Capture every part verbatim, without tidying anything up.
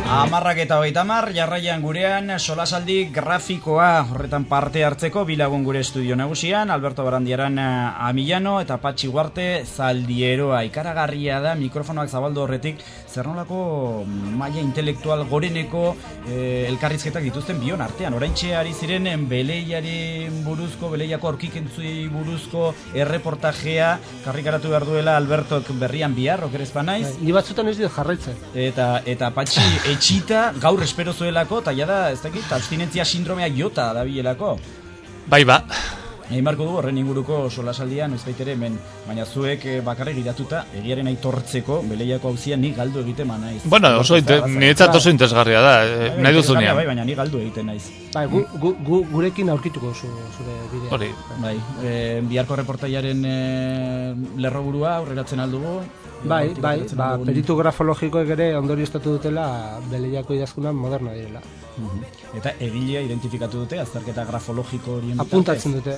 Amarrak eta hogeita hamar, jarraian gurean solasaldi grafikoa horretan parte hartzeko bilagun gure estudio nagusian, Alberto Barandiaran Amillano eta Patxi Guarte Zaldieroa. Ikaragarria da mikrofonoak zabaldu horretik zer nolako maila intelektual goreneko eh, elkarrizketak dituzten bion artean. Oraintxe ari ziren beleiari buruzko, beleiako aurkikentzui buruzko erreportajea karrikaratu behar duela Albertok berrian bihar, okerezpa naiz. Ni batzutan ez dut jarraitzen. Eta, eta Patxi etxita gaur espero zuelako, eta jada, ez dakit, abstinentzia sindromea jota dabilelako. Bai ba. Egin marko du horren inguruko solasaldian, ez baitere hemen, baina zuek bakarrik giratuta, egiaren aitortzeko, beleiako hauzia ni galdu egiten ma naiz. Bueno, oso niretzat oso interesgarria da, nahi duzunean. Bai, baina ni galdu egiten naiz. Bai, gu, gu, gu, gurekin aurkituko zu, zure bidea. Hori. Bai, e, biharko reportaiaren e, lerroburua aurreratzen aldugu. Bai, bai, ba, peritu grafologikoek ere ondorioztatu dutela beleiako idazkunan moderna direla. Eta egilea identifikatu dute, azterketa grafologiko horien apuntatzen dute.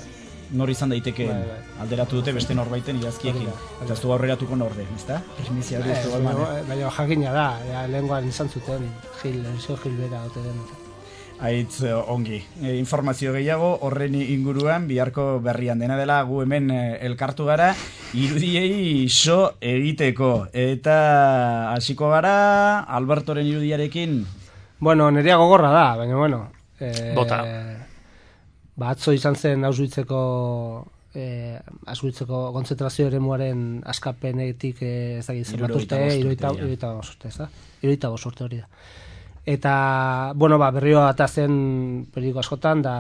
Nor izan daiteke bai, bai. alderatu dute beste norbaiten idazkiekin. Eta ez du aurreratuko norde, ezta? Primizia hori ez du balman. Baina jakina da, ja, lehengoan izan zuten, Gil, Erzio Gilbera ote den. Aitz ongi. E, informazio gehiago horren inguruan biharko berrian dena dela gu hemen elkartu gara irudiei so egiteko. Eta hasiko gara Albertoren irudiarekin. Bueno, nerea gogorra da, baina bueno. Eh, Bota. Ba, atzo izan zen Auschwitzeko eh, Auschwitzeko kontzentrazio eremuaren askapenetik eh, ez dakit zenbat urte, hirurogeita bost urte, ez da? hirurogeita bost urte hori da. Eta, bueno, ba, berriro ata zen periodiko askotan da,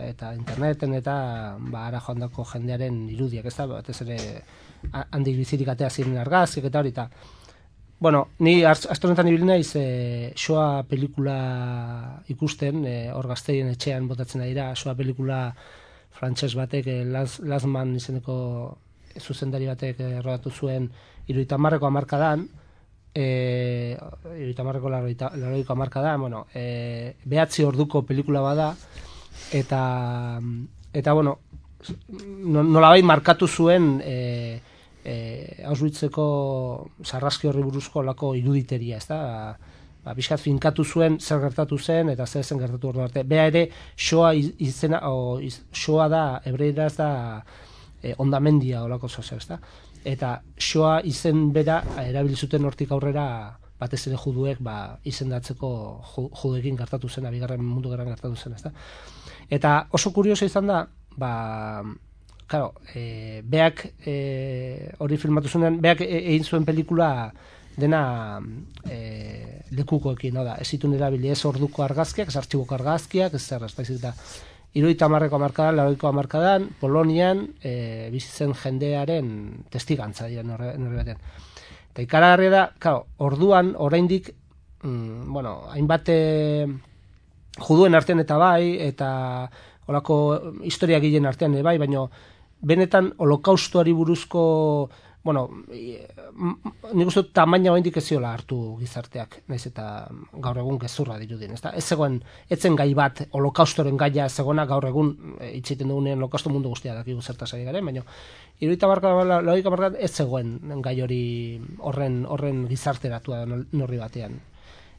eta interneten eta ba, ara joandako jendearen irudiak, ez da? Batez ere handik bizirik atea ziren argazkiak eta hori, eta bueno, ni aste honetan ibili naiz e, Shoah pelikula ikusten, e, hor Gazteien etxean botatzen da dira, Shoah pelikula frantses batek, e, Las, Lasman izeneko zuzendari batek e, rodatu zuen hirurogeita hamarreko hamarkadan, eh hirurogeita hamarreko laurogeiko hamarkadan, bueno, e, behatzi orduko pelikula bada, eta eta bueno, nolabait markatu zuen e, E, Auschwitzeko sarraski horri buruzko lako iruditeria, ez da? Ba, bizkat finkatu zuen zer gertatu zen eta zer zen gertatu ordu arte. Bea ere, Shoah izena, o, iz, Shoah da, hebreieraz da e, ondamendia olako zozer, ez da? Eta Shoah izen bera erabili zuten hortik aurrera batez ere juduek ba, izendatzeko judeekin gertatu zen, bigarren mundu gerran gertatu zen, ez da? Eta oso kurioso izan da, ba... Claro, e, beak e, hori filmatu zuenean, beak egin zuen pelikula dena e, lekukoekin, no da, ez zituen erabili ez orduko argazkiak, ez artxiboko argazkiak, ez zer, ez da, hirurogeita hamarreko hamarkadan, laurogeiko hamarkadan, Polonian e, bizitzen jendearen testigantza dira norre batean. Eta ikaragarria da, claro, orduan, oraindik, mm, bueno, hainbat e, juduen artean eta bai, eta holako historia gilen artean bai, baina benetan holokaustoari buruzko, bueno, nik uste dut tamaina oraindik ez ziola hartu gizarteak, naiz eta gaur egun gezurra dirudien, ezta? Ez zegoen, etzen gai bat holokaustoren gaia ez zegoena gaur egun hitz egiten dugunean holokausto mundu guztia dakigu zertaz ari garen, baina hirurogeita hamarkadan ez zegoen gai hori horren horren gizarteratua norri batean.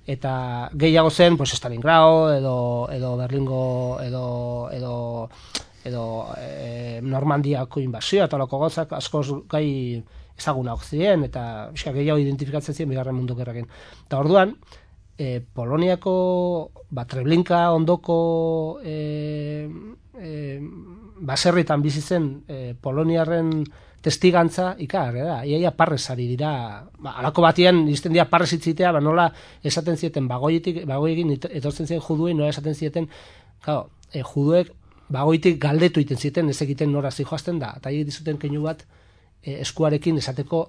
Eta gehiago zen, pues Stalingrado edo edo Berlingo edo edo edo e, Normandiako inbasioa eta holako gauzak askoz gai ezagunak ziren eta eska gehiago identifikatzen ziren bigarren mundu gerrarekin. Eta orduan e, Poloniako ba Treblinka ondoko e, e, baserritan bizi zen e, poloniarren testigantza ikagarria da. Iaia parrez ari dira, ba, alako batean izten dira parrez hitzitea, ba, nola esaten zieten bagoietik, bagoiekin etortzen ziren juduei, nola esaten zieten, claro, e, juduek bagoitik galdetu iten zieten, ez egiten nora zijoazten da, eta egiten zuten keinu bat e, eskuarekin esateko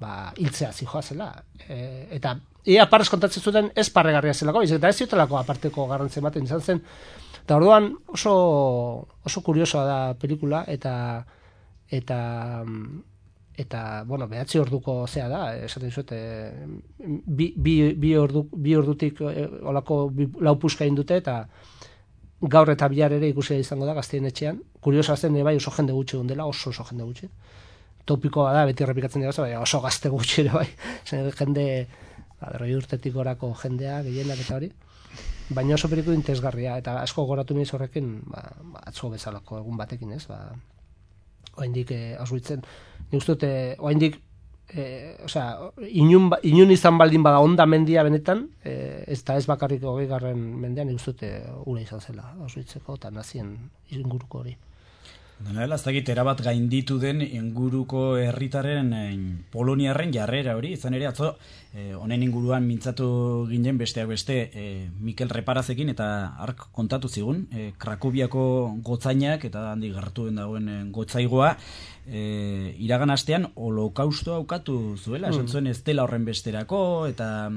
ba, hiltzea zijoazela. E, eta ia parrez kontatzen zuten ez parregarria zelako, eta ez ziotelako aparteko garrantzen baten izan zen. Eta orduan oso, oso kuriosoa da pelikula, eta eta eta bueno, behatzi orduko zea da, esaten zuet, e, bi, bi, bi, ordu, bi ordutik e, olako bi, lau puska egin dute, eta gaur eta bihar ere ikusia izango da Gazteien etxean. Kuriosoa zen bai oso jende gutxi egon dela, oso oso jende gutxi. Topikoa da, beti errepikatzen dira, bai, oso gazte gutxi ere bai. Jende berrogei urtetik gorako jendea, gehienak eta hori, baina oso periku interesgarria, eta asko goratu niz horrekin, ba, atzo bezalako egun batekin, ez, ba, oaindik eh, ausbitzen, nik uste dute, oaindik, eh, osea, inun, inun izan baldin bada onda mendia benetan, eh, ez da ez bakarrik hogei garren mendean, nik uste dute ura izan zela, ausbitzeko, eta nazien inguruko hori. Dela, ez dakit, erabat gainditu den inguruko herritaren poloniarren jarrera hori, izan ere atzo, honen eh, inguruan mintzatu ginen besteak beste eh, Mikel Reparazekin eta ark kontatu zigun, eh, Krakoviako gotzainak eta handi gertuen dagoen eh, gotzaigoa, eh, iragan astean holokaustoa aukatu zuela, esan zuen ez dela horren besterako, eta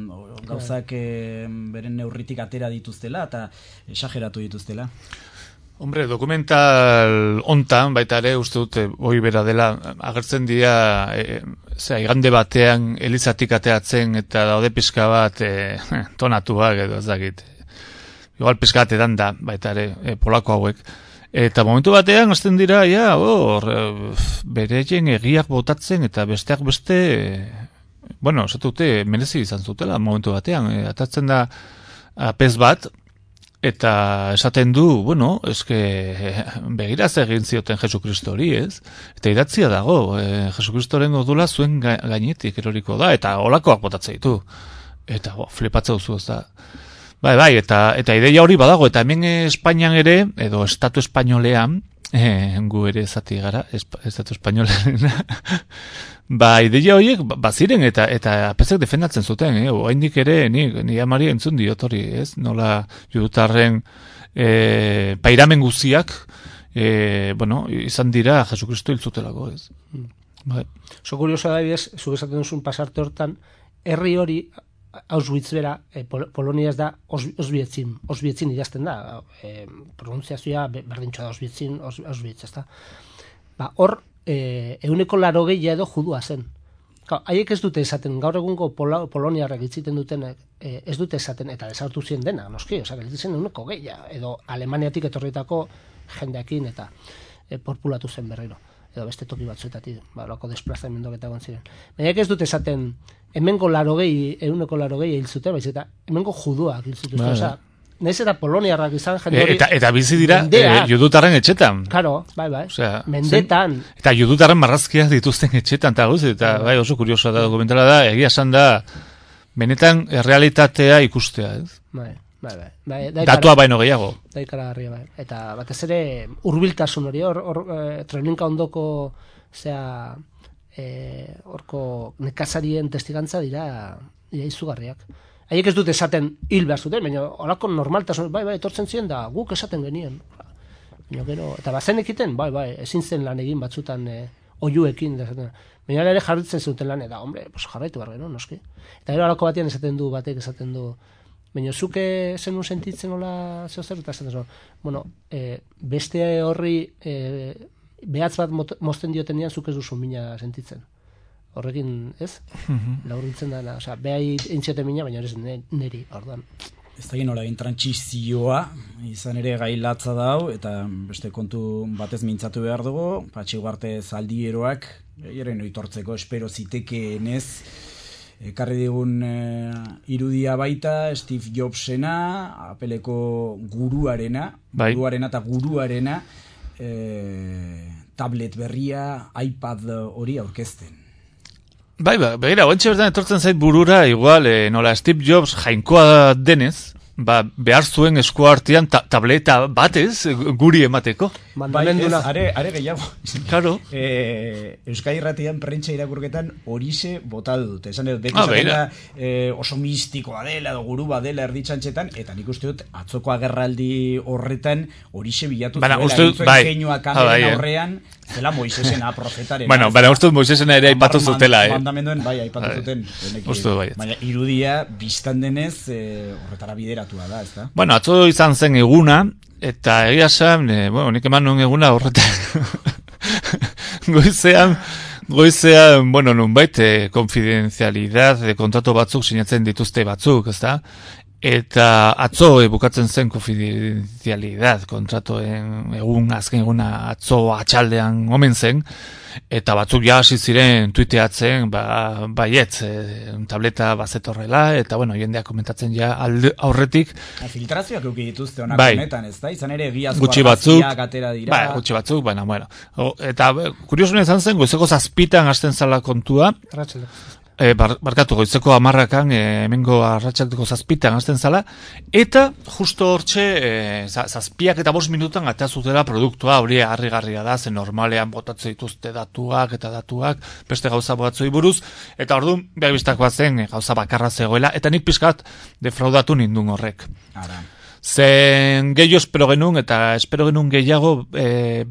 gauzak eh, beren neurritik atera dituztela, eta esageratu dituztela. Hombre, dokumental hontan, baita ere, uste dute, hoi bera dela, agertzen dira, e, zera, igande batean elizatik ateatzen eta daude pizka bat e, tonatuak edo ez dakit. Igual pizka batetan da, baita ere, e, polako hauek. Eta momentu batean, azten dira, ja, hor, bereien egiak botatzen eta besteak beste, e, bueno, esatu dute, merezi izan zutela, momentu batean, e, atatzen da apez bat, eta esaten du, bueno, eske begiraz egin zioten Jesukristo hori, ez? Eta idatzia dago, e, Jesukristoren odula zuen gainetik eroriko da, eta olakoak botatzen ditu. Eta bo, flipatzea duzu, ez da. Bai, bai, eta, eta ideia hori badago, eta hemen Espainian ere, edo Estatu Espainolean, e, gu ere zati gara, Estatu Espainolean, ba, ideia horiek baziren eta eta apezek defendatzen zuten, eh? Oraindik ere ni ni amari entzun diot hori, ez? Nola judutarren eh pairamen guztiak eh bueno, izan dira Jesukristo hil zutelako, ez? Mm. Bai. So kurioso da bidez, zu esaten duzun pasarte hortan, herri hori Auschwitz bera, eh, Pol Polonia ez da Oswietzin, Oswietzin idazten da, eh, pronuntziazioa berdintxoa da Oswietzin, Auschwitz, ez da. Ba, hor Eh, euneko laro gehi edo judua zen. Haiek ez dute esaten, gaur egungo Pol Poloniarrak itziten dutenek, eh, ez dute esaten, eta desartu zien dena, noski, osak, ez zen euneko gehi, edo Alemaniatik etorritako jendeakin, eta eh, populatu zen berriro, edo beste toki batzuetatik, ba, loko desplazamenduak eta egon ziren. Baina ez dute esaten, hemengo laro gehi, euneko laro gehi hil zuten, baiz, eta hemengo juduak hil zuten, oza, naiz eta poloniarrak izan jende hori. Eta, eta bizi dira e, judutarren etxetan. Claro, bai, bai. Osea, mendetan. Zen, eta judutarren marrazkiak dituzten etxetan, eta guz, eta bai, oso kuriosoa da dokumentala da, egia esan da, benetan realitatea ikustea, ez? Bai, bai, bai. bai Datua baino gehiago. Daikaragarria, bai. Eta batez ere, hurbiltasun hori, hor, hor e, Treblinka ondoko, zera, horko e, nekazarien testigantza dira, dira izugarriak. Haiek ez dute esaten hil behar zuten, baina horako normaltasun, bai, bai, etortzen ziren da, guk esaten genien. Baina gero, eta bazen ekiten, bai, bai, ezin zen lan egin batzutan e, oiuekin. Baina ere jarritzen zuten lan, eta, hombre, pues jarraitu behar gero, noski. Eta gero horako batean esaten du, batek esaten du, baina zuke zenun sentitzen hola zeo zer, eta esaten zuen, bueno, e, beste horri e, behatz bat mozten diotenean zuk ez duzu mina sentitzen. Horrekin, ez? Mm-hmm. Laurritzen da, osea, behai entziote mina, baina ez neri, orduan. Ez da nola egin trantsizioa, izan ere gai latza dau, eta beste kontu batez mintzatu behar dugu, Patxi Ugarte zaldieroak, eren oitortzeko espero zitekeenez, ekarri digun e, irudia baita, Steve Jobsena, Appleko guruarena, bai. guruarena eta guruarena, e, tablet berria, iPad hori aurkezten. Bai, ba, begira, oentxe bertan etortzen zait burura, igual, eh, nola Steve Jobs jainkoa denez, ba, behar zuen eskua artean ta tableta batez guri emateko. Bai, ez, are, are gehiago. Claro. E, Euskadi Irratian prentsa irakurketan horixe botatu dute. Esan edo, beti zaten da e, oso mistikoa dela, edo guru badela erditxantxetan, eta nik uste dut, atzoko agerraldi horretan horixe bilatu zuela. Uste dut, bai. Keinua kameren aurrean, zela Moisesena profetaren. Bueno, baina uste dut Moisesena ere aipatu zutela, eh? Mandamenduen, bai, aipatu zuten. Uste dut, bai. Baina irudia, biztan denez, e, horretara bideratua da, ez da? Bueno, atzo izan zen eguna, eta egia esan, e, bueno, nik eman nuen eguna horretan. goizean, goizean, bueno, nunbait, e, konfidenzialidad de kontratu batzuk sinatzen dituzte batzuk, ez da? eta atzo e, bukatzen zen konfidenzialidad kontratoen egun, azken eguna atzo atxaldean omen zen, eta batzuk ja hasi ziren tuiteatzen, ba, baietz, e, tableta bazetorrela, eta bueno, jendeak komentatzen ja alde, aurretik. Filtrazioak euki dituzte honak bai, honetan, ez da? Izan ere egiazko gutxi batzuk, atera dira. Bai, gutxi batzuk, baina, bueno. O, eta kuriosuna izan zen, goizeko zazpitan hasten zala kontua, E, bar, barkatu, goizeko amarrakan, e, hemengo arratsaldeko zazpitan hasten zala, eta justo hortxe, e, zazpiak eta bost minutan atazutela produktua, hori harrigarria da, zen normalean botatzen dituzte datuak eta datuak, beste gauza batzoi buruz, eta orduan, behar biztakoa zen, e, gauza bakarra zegoela, eta nik pixkat defraudatu nindun horrek. Ara. Zen gehiago espero genuen, eta espero genuen gehiago, e,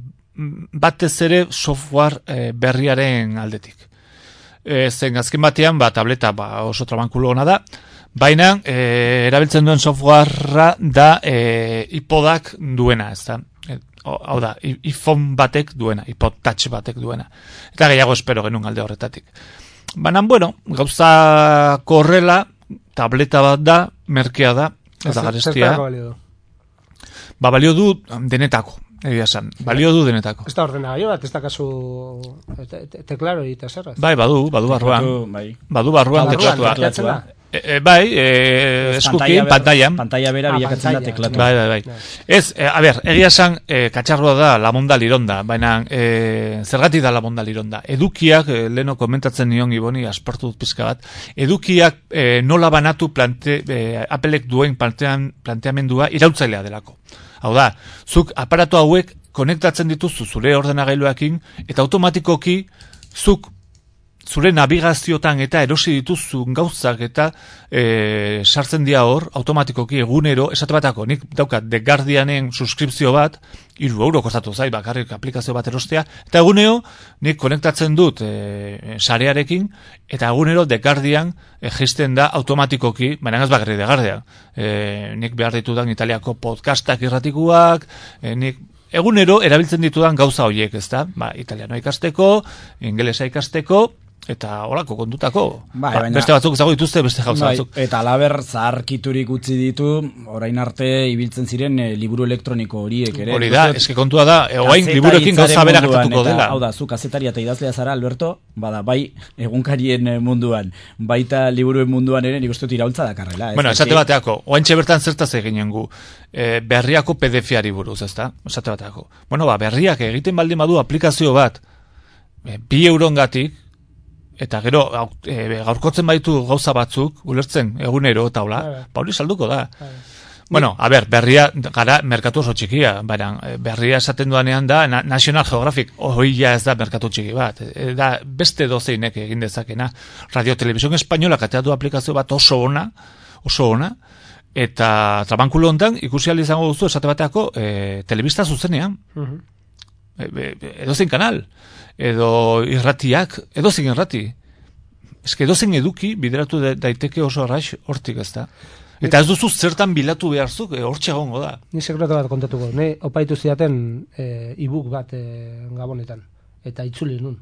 batez ere software e, berriaren aldetik. E, zen azken batean, ba, tableta ba, oso trabankulo ona da, baina e, erabiltzen duen softwarea da e, iPodak duena, ez da? E, hau da, iPhone batek duena, iPod Touch batek duena. Eta gehiago espero genuen alde horretatik. Baina, bueno, gauza korrela, tableta bat da, merkea da, eta garestia. Ba, balio du denetako. Egia esan, balio du denetako. Ez da ordenagailu bat, ez da kasu teklaro eta zerraz. Bai, badu, badu barruan. Bai. Badu barruan teklatua. E, e, bai, e, eskukin, pantaian. Pantalla bera ah, bilakatzen da teklatu. Bai, bai, bai. Ez, e, a ber, egia esan, e, katxarroa da lamonda lironda, baina e, zergatik da lamonda lironda. Edukiak, e, leno komentatzen nion Iboni, aspartu dut pizka bat, edukiak e, nola banatu plante, e, Applek duen plantean, planteamendua irautzailea delako. Hau da, zuk aparatu hauek konektatzen dituzu zure ordenagailuekin eta automatikoki zuk zure navigaziotan eta erosi dituzun gauzak eta e, sartzen dira hor, automatikoki egunero, esate batako, nik daukat The Guardianen suskripzio bat, hiru euro kostatu zait, bakarrik aplikazio bat erostea, eta egunero nik konektatzen dut e, sarearekin, eta egunero The Guardian e, jisten da automatikoki, baina ez bakarrik The Guardian, e, nik behar ditudan Italiako podcastak irratikuak, e, nik egunero erabiltzen ditudan gauza horiek, ez da? Ba, italiano ikasteko, ingelesa ikasteko, eta holako kontutako. Bai, ba, baina, beste batzuk zago dituzte, beste gauza bai, batzuk. Eta laber zaharkiturik utzi ditu, orain arte ibiltzen ziren e, liburu elektroniko horiek ere. Hori da, eske kontua da, oain liburuekin gauza bera gertatuko dela. Hau da, zu kazetaria eta idazlea zara, Alberto, bada, bai, egunkarien munduan, baita liburuen munduan ere, nik uste dut iraultza dakarrela. Bueno, esate bateako, oaintxe bertan zertaz eginen gu, e, berriako P D F-ari buruz, ezta? Esate bateako. Bueno, ba, berriak egiten baldin badu aplikazio bat, e, bi eurongatik, eta gero e, gaurkotzen baitu gauza batzuk, ulertzen egunero eta hola, ba hori salduko da. Bueno, a ber, berria gara merkatu oso txikia, baina berria esaten duanean da National Geographic, hori ja ez da merkatu txiki bat, e, da beste dozeinek egin dezakena. Radio Televisión Española kateatu aplikazio bat oso ona, oso ona, eta trabankulo hontan ikusi ahal izango duzu esate bateako e, telebista zuzenean. Uh-huh. E, e, edozein kanal. Edo irratiak, edo zein irrati. Ez que edo zein eduki bideratu daiteke oso arraix hortik, ez da. Eta ez duzu zertan bilatu beharzuk, e, hortxe egongo da. Ni sekretu bat kontatuko. Ne opaitu zidaten e, e-book bat e, gabonetan. Eta itzuli nun.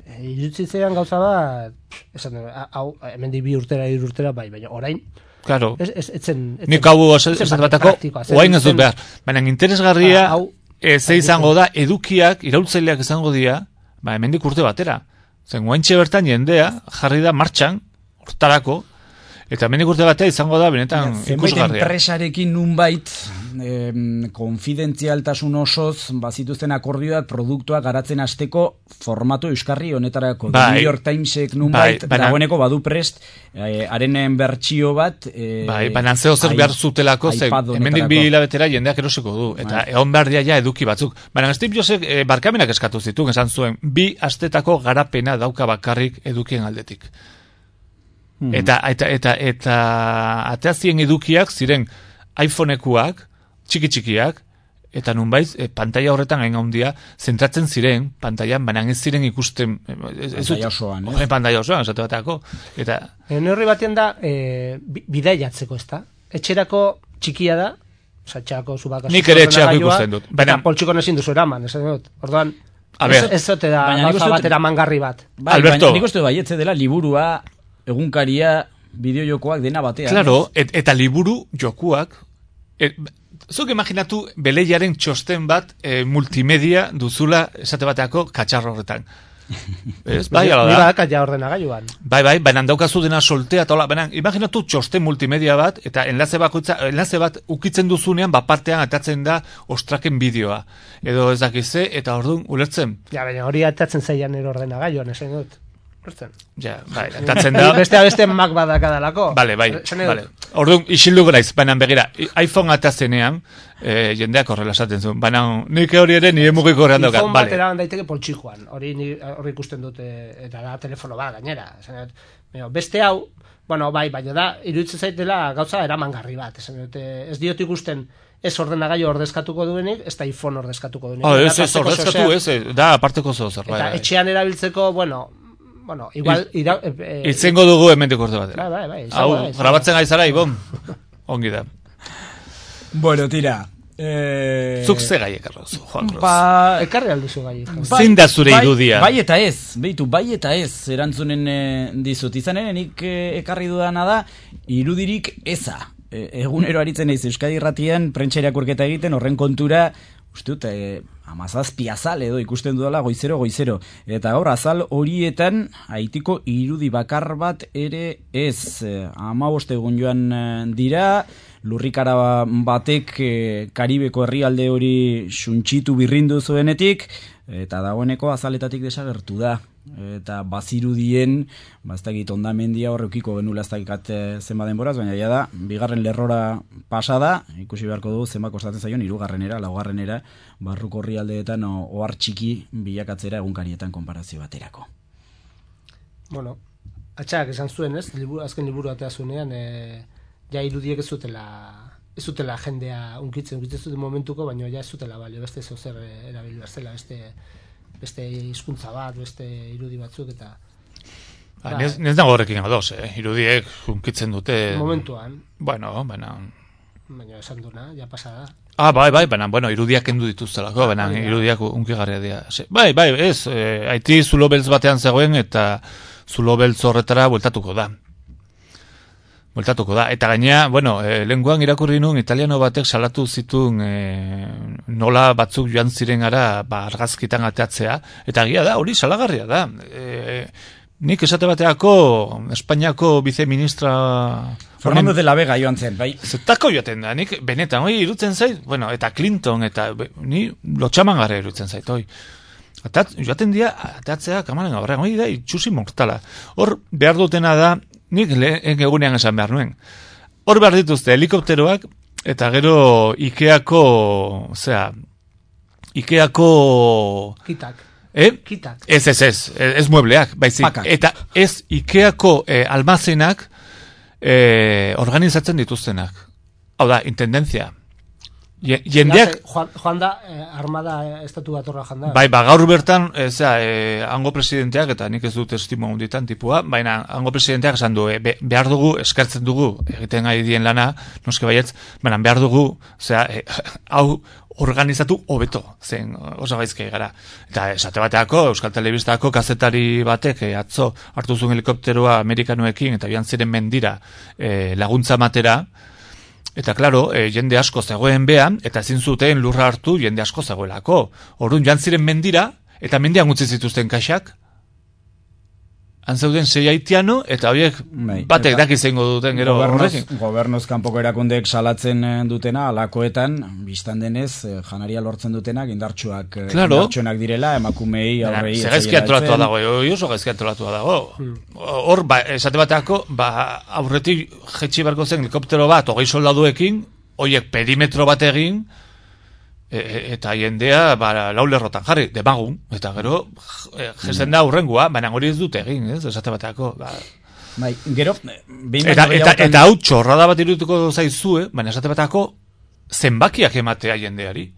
E, Irutzitzean gauza bat, esan, hau, hemendik bi urtera, hiru urtera, bai, baina orain, claro. Ez, ez, etzen, etzen, nik hau esate batako, oain ez dut behar. Baina interesgarria, hau, E, ze izango da, edukiak, iraultzaileak izango dira, ba, hemendik urte batera. Zen, guaintxe bertan jendea, jarri da martxan, hortarako, eta hemendik urte batera izango da, benetan ikusgarria. Zenbait enpresarekin nunbait, eh, konfidentzialtasun osoz, bazituzten akordioak, produktuak garatzen hasteko formato euskarri honetarako. Bai, New York Timesek nunbait, bai, dagoeneko badu prest, eh, arenen bertsio bat, eh, bai, baina zeo zer behar zutelako, zen, hemendik bi hilabetera jendeak erosiko du, eta bai. Egon behar dia ja eduki batzuk. Baina Steve Jobsek eh, barkamenak eskatu zituen, esan zuen, bi astetako garapena dauka bakarrik edukien aldetik. Hmm. Eta, eta, eta, eta ateazien edukiak ziren iPhonekuak, txiki-txikiak, eta nunbait, e, pantalla horretan hain handia zentratzen ziren, pantailan, baina ez ziren ikusten... Pantalla osoan, eh? Pantalla osoan, esate bateako. Eta... Neurri batean da, e, bidaiatzeko, ez da? Etxerako txikia da, oza, etxerako zubakazu... Nik ere etxerako ikusten dut. Baina poltsiko nezin duzu eraman, ez dut. Orduan, ez, ez zote da, gauza batera mangarri bat. Bai, Alberto. Baina nik uste du baietze dela liburua, egunkaria, bideo jokoak dena batean. Claro, et, eta liburu jokuak, et, zuk imaginatu beleiaren txosten bat e, multimedia duzula esate bateako katxarro horretan. Ez, bai, ala da. Ni badak ja ordenagailuan. Bai, bai, baina daukazu dena soltea eta hola, baina imaginatu txosten multimedia bat eta enlaze bakoitza, enlaze bat ukitzen duzunean bat partean atatzen da ostraken bideoa. Edo ez dakize eta orduan ulertzen. Ja, baina hori atatzen zaian ero ordenagailuan, esan dut. Ulertzen. Ja, bai, atatzen da. Beste beste Mac badakadalako. Vale, bai, vale. Orduan isildu graiz, baina begira, iPhone atazenean, eh, jendeak horrela esaten zuen, baina nik hori ere nire mugiko horrean daukat. iPhone bat eraban daiteke poltsikoan, hori hori ikusten dute, eta da telefono bat gainera. Beste hau, bueno, bai, baina da, iruditzen zaitela gauza eramangarri bat, esan dute, ez diot ikusten ez ordenagailu ordezkatuko duenik, ez da iPhone ordezkatuko duenik. Oh, ez, ez, ordezkatu ez, da aparteko zozer. Eta etxean erabiltzeko, bueno, bueno, igual... Ira, eh, Itzengo dugu hemendik urte batera. Bai, bai, bai. Hau, grabatzen gaizara, Ibon. Ongi da. Bueno, tira. Eh... Zuk ze gai ekarrozu, Juan Cruz. Ba, ekarri alduzu gai. Zein da zure bai, irudia? Bai eta ez, behitu, bai eta ez, erantzunen e, dizut. Izanen, nik e, ekarri dudana da, irudirik eza. E, egunero aritzen naiz Euskadi Irratian, prentsa irakurketa egiten, horren kontura, uste dut, e, amazazpi azal edo ikusten dudala goizero goizero. Eta gaur azal horietan Haitiko irudi bakar bat ere ez. hamabost egun joan dira, lurrikara batek Karibeko herrialde hori suntsitu birrindu zuenetik, eta dagoeneko azaletatik desagertu da. Eta bazirudien, baztakit ondamendia horrekiko genula ez dakikat zenba denboraz, baina ja da, bigarren lerrora pasada, ikusi beharko du zenba kostatzen zaion, hirugarrenera, laugarrenera, barruko herrialdeetan ohar txiki bilakatzera egunkarietan konparazio baterako. Bueno, atxak esan zuen ez, liburu, azken liburu atea zuenean, e, ja irudiek ez zutela, ez zutela jendea unkitzen, unkitzen zuten momentuko, baina ja ez zutela balio, beste zozer erabil berzela, beste... beste hizkuntza bat, beste irudi batzuk, eta... Ba, nez, nez dago horrekin adoz, eh? Irudiek hunkitzen dute... Momentuan. Bueno, baina... Baina esan duna, ja pasada. Ah, bai, bai, baina, bueno, irudiak kendu dituztelako, baina ah, irudiak hunkigarria dira. Bai, bai, ez, eh, Haiti zulo beltz batean zegoen, eta zulo beltz horretara bueltatuko da. Bueltatuko da. Eta gainea, bueno, e, lenguan irakurri nun, italiano batek salatu zituen e, nola batzuk joan ziren gara ba, argazkitan ateatzea. Eta egia da, hori salagarria da. E, nik esate bateako Espainiako viceministra... Fernando de la Vega joan zen, bai. Zetako joaten da, nik benetan, hori irutzen zait, bueno, eta Clinton, eta ni lotxaman gara irutzen zait, hori. Eta joaten dira, ateatzea kamaren gabarrean, hori da, itxusi mortala. Hor, behar dutena da, nik lehen egunean esan behar nuen. Hor behar dituzte helikopteroak, eta gero Ikeako, zera, Ikeako... Kitak. Eh? Kitak. Ez, ez, ez, ez muebleak, baizik. Pakak. Eta ez Ikeako eh, almazenak eh, organizatzen dituztenak. Hau da, intendentzia. Jendeak... Joan, joan da, eh, armada estatu batorra joan da. Bai, ba, gaur bertan, ez da, eh, hango presidenteak, eta nik ez dut estimo hunditan tipua, baina hango presidenteak esan du, eh, be, behar dugu, eskartzen dugu, egiten gai dien lana, noske baietz, baina behar dugu, zera, eh, hau organizatu hobeto, zen oso gaizkei gara. Eta esate bateako, Euskal Telebistako kazetari batek, eh, atzo hartu zuen helikopteroa amerikanoekin, eta bian ziren mendira eh, laguntza matera, eta klaro, e, jende asko zegoen behan, eta ezin zuten lurra hartu jende asko zegoelako. Orduan joan ziren mendira, eta mendian utzi zituzten kaxak. Han zeuden sei haitiano, eta horiek bai, batek daki zengo duten gero horrekin. Gobernoz kanpoko erakundeek salatzen dutena, alakoetan, biztan denez, janaria lortzen dutenak, indartsuak, claro. Indartsuenak direla, emakumei, aurrei... Zer gaizki antolatua dago, oso gaizki antolatua dago. Hor, ba, esate bateako, ba, aurretik jetxi barko zen helikoptero bat, hogei soldaduekin, horiek perimetro bat egin, E, eta jendea ba, laulerrotan jarri, demagun, eta gero jesten da aurrengua, baina hori ez dute egin, ez, esate bateako. Ba. Bai, gero, eta, eta, eta hau txorrada bat irutuko zaizue, baina esate bateako zenbakiak ematea jendeari.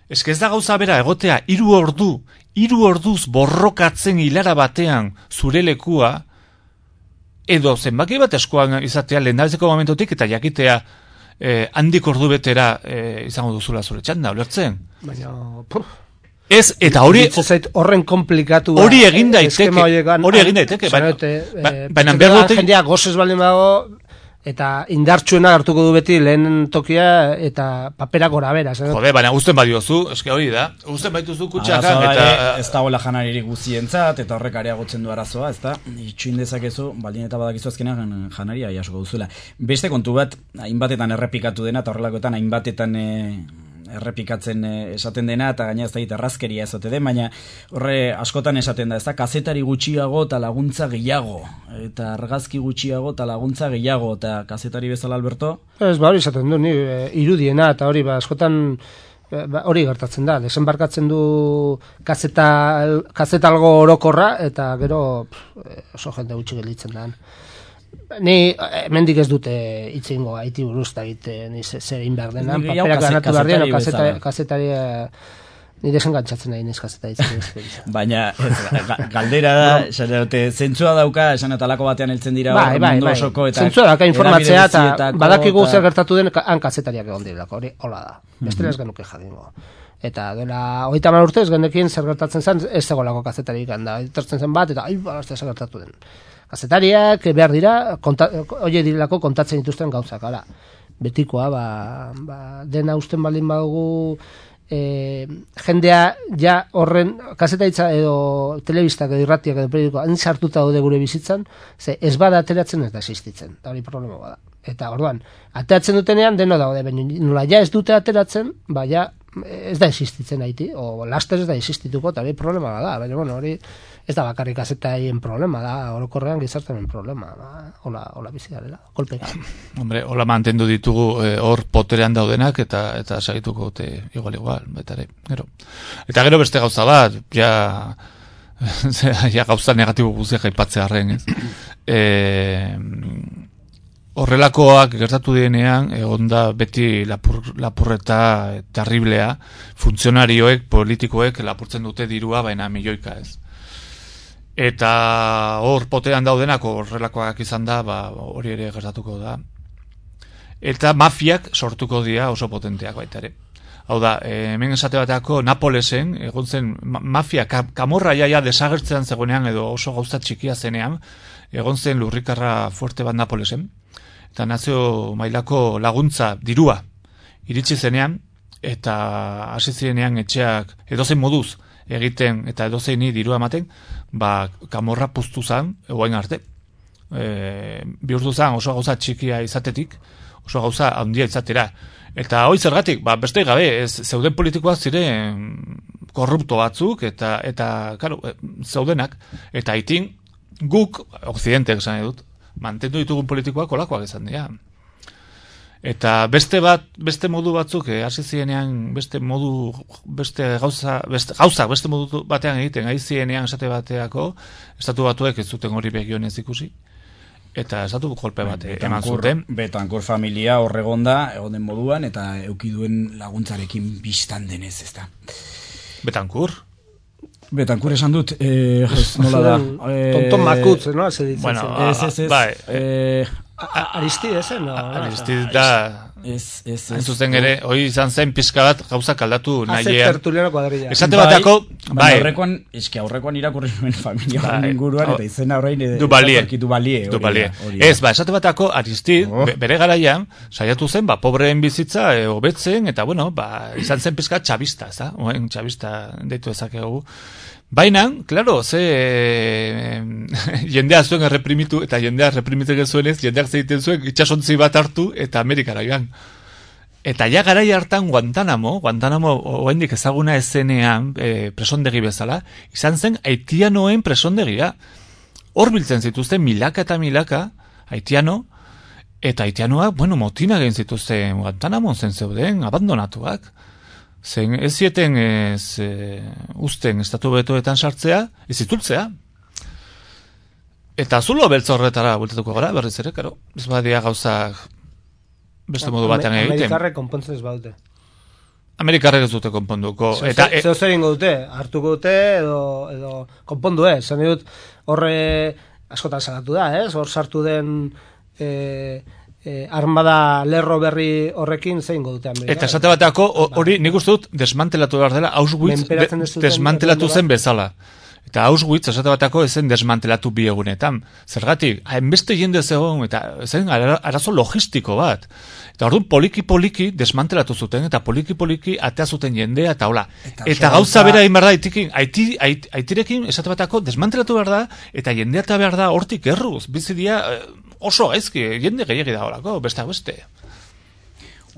Ez ez da gauza bera egotea, hiru ordu, hiru orduz borrokatzen hilara batean zure lekua, edo zenbaki bat eskoan izatea lehendabizeko momentotik, eta jakitea Eh, handik ordu betera eh, izango duzula zure txanda, ulertzen? Baina, puf. Ez, eta hori... horren komplikatu... Hori egin daiteke, hori egin daiteke, baina behar dute... Jendea gozes baldin bago, eta indartsuena hartuko du beti lehen tokia eta papera gora bera. Jode, baina guzten badiozu, eske hori da, guzten baituzu kutxakan, eta... Ez dagoela janaririk guzientzat, eta horrek areagotzen du arazoa, ez da, itxuin dezakezu, baldin eta badakizu azkenean janaria jasoko duzuela. Beste kontu bat, hainbatetan errepikatu dena, eta horrelakoetan hainbatetan errepikatzen esaten dena, eta gaina ez da errazkeria ezote den, baina horre askotan esaten da, ez da, kazetari gutxiago eta laguntza gehiago, eta argazki gutxiago eta laguntza gehiago, eta kazetari bezala, Alberto? Ez, ba, hori esaten du, ni, irudiena, eta hori, ba, askotan ba, hori gertatzen da, desembarkatzen du kazeta, kazeta algo orokorra, eta gero pff, oso jende gutxi gelditzen da. Ni hemendik ez dute itzingo haiti buruz da egite ni zer egin behar dena, paperak ganatu behar dena, kazetari, kazetari ni desengantzatzen nahi niz kazetari. Baina galdera da, esan dute, zentzua dauka, esan eta alako batean heltzen dira bai, bai, mundu bai. osoko, eta zentzua dauka informatzea, eta badakigu zer gertatu den, han kazetariak egon direlako, hori hola da, bestela ez genuke jadingo. Eta dela, hogeita hamar urtez, genekin zer gertatzen zen, ez zegolako kazetarik handa, etortzen zen bat, eta ai, balazte zer gertatu den. Kazetariak behar dira, hori direlako kontatzen dituzten gauzak, ala. Betikoa, ba, ba, dena usten baldin badugu, e, jendea ja horren, kazetaritza edo telebistak edo irratiak edo periodikoa, hain sartuta daude gure bizitzan, ze ez bada ateratzen ez da existitzen, eta hori problema bada. Eta orduan, ateratzen dutenean deno daude, baina nola ja ez dute ateratzen, ba ja ez da existitzen haiti, o laster ez da existituko, eta hori problema da, baina bueno, hori ez da bakarrik azetaien problema da, orokorrean gizartaren problema, da, hola, hola bizi garela, kolpeka. Hombre, hola mantendu ditugu hor eh, poterean daudenak, eta eta sagituko te igual igual, baita ere, gero. Eta gero beste gauza bat, ja, ja gauza negatibo guztiak aipatzearren, ez? Eh, Horrelakoak gertatu denean, egon da beti lapur, lapurreta terriblea, funtzionarioek, politikoek lapurtzen dute dirua, baina milioika ez. Eta hor potean daudenako horrelakoak izan da, ba, hori ere gertatuko da. Eta mafiak sortuko dira oso potenteak baita ere. Hau da, hemen esate bateako Napolesen, egon zen mafia, kamorra jaia desagertzean zegoenean edo oso gauza txikia zenean, egon zen lurrikarra fuerte bat Napolesen, eta nazio mailako laguntza dirua iritsi zenean, eta hasi zirenean etxeak edozein moduz egiten eta edozeini dirua ematen, ba, kamorra puztu zan, egoain arte. E, bihurtu zan oso gauza txikia izatetik, oso gauza handia izatera. Eta hoi zergatik, ba, beste gabe, ez, zeuden politikoak ziren korrupto batzuk, eta, eta claro, zeudenak, eta itin guk, Occidentek esan edut, mantendu ditugun politikoak olakoak izan dira. Eta beste bat, beste modu batzuk, eh, hasi zienean beste modu, beste gauza, beste gauza, beste modu batean egiten, gai zienean esate bateako, estatu batuek ez zuten hori begionez ikusi, eta estatu kolpe bat eman zuten. Betankor familia horregonda, egon den moduan, eta eukiduen laguntzarekin biztan denez, ez da. Betankur? Betankur esan dut, eh, nola da. Tonton makutz, no? Bueno, ez, ez, ez. Bai. Eh, Aristide zen, no? Aristide da... Ez, ez, ez. Zuzen ere, hoi izan zen pizka bat gauzak aldatu nahiean. Tertuliano kuadrilla. Esate batako, bai. Aurrekoan, eski aurrekoan irakurri nuen familia bai. Inguruan, eta izena horrein... Du balie. Du balie. Du balie. Ez, ba, esate batako Aristide, oh. bere garaian, saiatu zen, ba, pobreen bizitza, e, hobetzen, eta, bueno, ba, izan zen pizka txabista, ez da? Oen, txabista deitu ezakegu. Baina, klaro, ze e, jendea zuen erreprimitu, eta jendea reprimitzen zuenez, jendeak zeiten zuen itxasontzi bat hartu, eta Amerikara joan. Eta ja garai hartan Guantanamo, Guantanamo oraindik ezaguna ezenean, e, presondegi bezala, izan zen haitianoen presondegia. Hor biltzen zituzten milaka eta milaka haitiano, eta haitianoak, bueno, motina egin zituzten Guantanamo zen zeuden, abandonatuak. Zen ez zieten ez e, usten estatu betoetan sartzea, ez zitultzea. Eta zulo beltza horretara bultatuko gara, berriz ere, karo. Ez badia gauzak beste modu batean egiten. Amerikarrek konpontzen ez baute. Amerikarrek ez dute konponduko. Eta zeo zer ingo dute, hartuko dute edo, edo konpondu ez. Zene dut horre askotan salatu da, ez? Hor sartu den... E, e, armada lerro berri horrekin zein dute Amerika. Eta esate batako hori nik uste dut desmantelatu behar dela, Auschwitz de, desmantelatu zen bezala. Eta Auschwitz esate batako ezen desmantelatu bi egunetan. Zergatik, hainbeste jende zegoen, eta zen arazo logistiko bat. Eta orduan poliki-poliki desmantelatu zuten, eta poliki-poliki atea zuten jendea, eta hola. Eta, eta gauza bera egin behar da, aitirekin, aiti, ait, aitirekin esate batako desmantelatu behar da, eta jendea eta behar da hortik erruz. Bizidia oso gaizki, jende gehiagi da horako, besteak beste.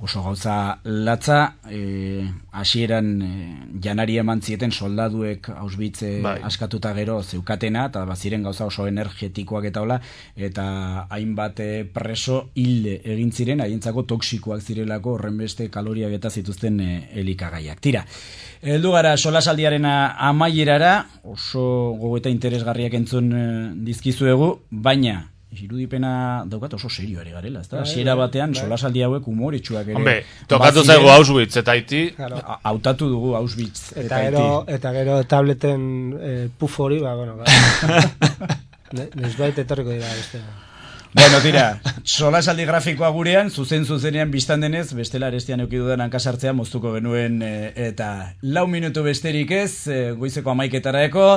Oso gauza latza, eh, hasieran eh, janari eman zieten soldaduek Auschwitz eh, bai. askatuta gero zeukatena, eta baziren gauza oso energetikoak eta hola, eta hainbat eh, preso hilde egin ziren, haientzako toksikoak zirelako horren beste kaloriak eta zituzten eh, elikagaiak. Tira, heldu gara solasaldiaren amaierara, oso gogoeta interesgarriak entzun eh, dizkizuegu, baina irudipena daukat oso serio ere garela, ezta? Hasiera batean solasaldi hauek humoretsuak ere. Hombre, tokatu zaigu Auschwitz eta Haiti. Hautatu dugu Auschwitz eta, eta gero Haiti. Eta gero tableten eh, puf hori, ba, bueno, nesbait etorriko dira beste. Bueno, tira, solasaldi grafikoa gurean, zuzen zuzenean biztan denez, bestela arestian eukidudan hankasartzea moztuko genuen, e, eta lau minutu besterik ez, e, goizeko amaiketara eko,